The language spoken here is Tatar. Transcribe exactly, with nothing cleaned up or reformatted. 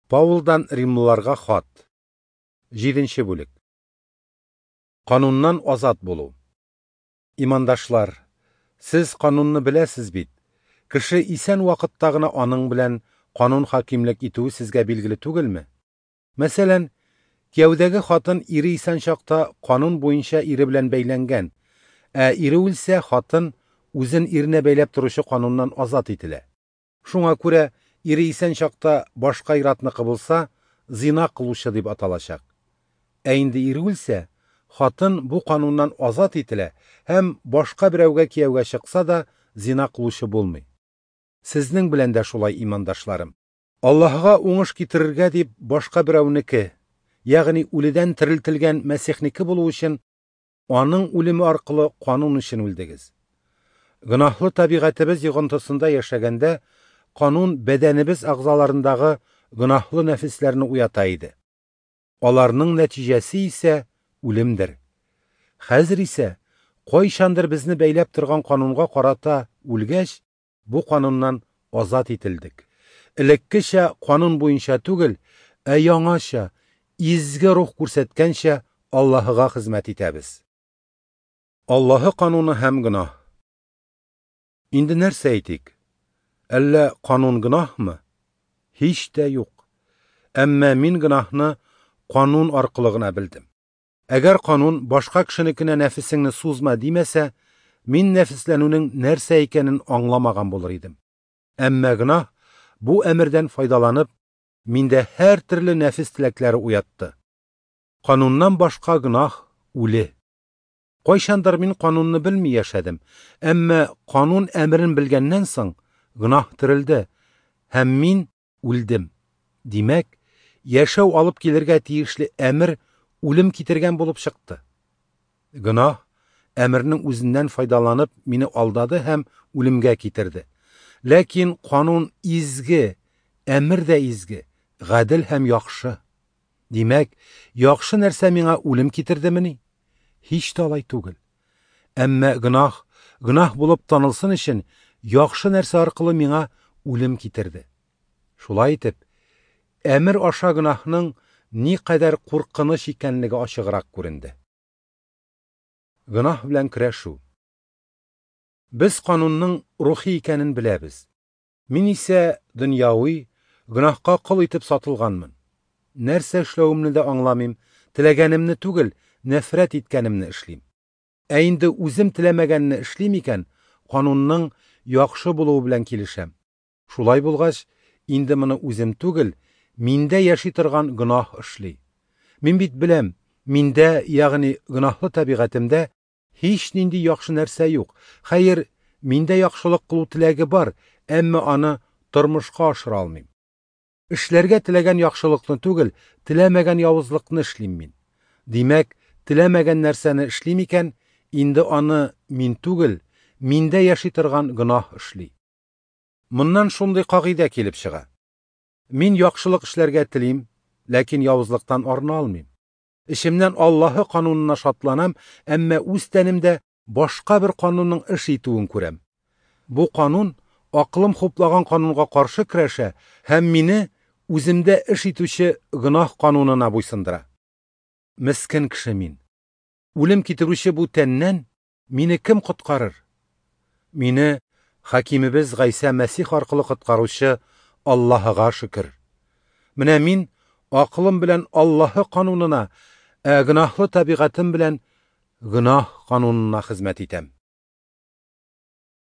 Паулдан Римлыларга хат. Җиденче бүлек. Кануннан азат булу. Имандашлар, сез канунны беләсез бит. Кеше исән вакытта гына аның белән канун хакимлек итүе сезгә билгеле түгелме? Мәсәлән, кияүдәге хатын ире исән чакта канун буенча ире белән бәйләнгән, ә ире үлсә, хатын үзен иренә бәйләп торучы кануннан азат ителә. Шуңа күрә ире исән чакта башка ир-атныкы булса, зина кылучы дип аталачак. Ә инде ире үлсә, хатын бу кануннан азат ителә һәм башка берәүгә кияүгә чыкса да, зина кылучы булмый. Сезнең белән дә шулай, имандашларым. Аллаһыга уңыш китерергә дип башка берәүнеке, ягъни үледән терелтелгән Мәсихнеке булу өчен аның үлеме аркылы канун өчен үлдегез. Гөнаһлы табигатебез йогынтысында яшәгәндә канун бәдәнебез әгъзаларындагы гөнаһлы нәфесләрне уята иде. Аларның нәтиҗәсе исә үлемдер. Хәзер исә кайчандыр безне бәйләп торган канунга карата үлгәч, бу кануннан азат ителдек. Элеккечә канун буенча түгел, ә яңача, изге рух күрсәткәнчә Аллаһыга хезмәт итәбез. Аллаһы кануны һәм гөнаһ. Инде нәрсә әйтик? Әллә канун гөнаһмы? Һич тә юк. Әмма мин гөнаһны канун аркылы гына белдем. Әгәр канун башка кешенекенә нәфесеңне сузма димәсә, мин нәфесләнүнең нәрсә икәнен аңламаган булыр идем. Әмма гөнаһ бу әмердән файдаланып, миндә һәр төрле нәфес теләкләре уятты. Кануннан башка гөнаһ үле. Кайчандыр мин канунны белми яшәдем, әмма канун әмерен белгәннән соң гөнаһ терелде һәм мин үлдем. Димәк, яшәү алып килергә тиешле әмер үлем китергән булып чыкты. Гөнаһ әмернең үзеннән файдаланып мине алдады һәм үлемгә китерде. Ләкин канун изге, әмер дә изге, гадел һәм яхшы. Димәк, яхшы нәрсә миңа үлем китердемени? Һич тә алай түгел. Әмма гөнаһ, гөнаһ булып танылсын өчен яхшы нәрсә аркылы миңа үлем китерде. Шулай итеп, әмер аша гөнаһның ни кадәр куркыныч икәнлеге ачыграк күренде. Гөнаһ белән көрәшү. Без канунның рухи икәнен беләбез. Мин исә дөньяви, гөнаһка кол итеп сатылганмын. Нәрсә эшләвемне дә аңламыйм, теләгәнемне түгел, нәфрәт иткәнемне эшлим. Ә инде үзем теләмәгәнне эшлим икән, канунның яхшы булуы белән килешәм. Шулай булгач, инде моны үзем түгел, миндә яши торган гөнаһ эшли. Мин бит беләм, миндә, ягъни гөнаһлы табигатемдә һич нинди яхшы нәрсә юк. Хәер, миндә яхшылык кылу теләге бар, әмма аны тормышка ашыра алмыйм. Эшләргә теләгән яхшылыкны түгел, теләмәгән явызлыкны эшлим мин. Димәк, теләмәгән нәрсәне эшлим икән, инде аны мин түгел, миндә яши торган гөнаһ эшли. Моннан шундый кагыйдә килеп чыга. Мин яхшылык эшләргә телим, ләкин явызлыктан арына алмыйм. Эчемнән Аллаһы канунына шатланам, әмма үз тәнемдә башка бер канунның эш итүен күрәм. Бу канун акылым хуплаган канунга каршы көрәшә һәм мине үземдә эш итүче гөнаһ канунына буйсындыра. Мискен кеше мин. Үлем китерүче бу тәннән мине кем коткарыр? Мине хакимебез Гайсә Мәсих аркылы коткаручы Аллаһыга шөкер. Менә мин акылым белән Аллаһы канунына, ә гөнаһлы табигатем белән гөнаһ канунына хезмәт итәм.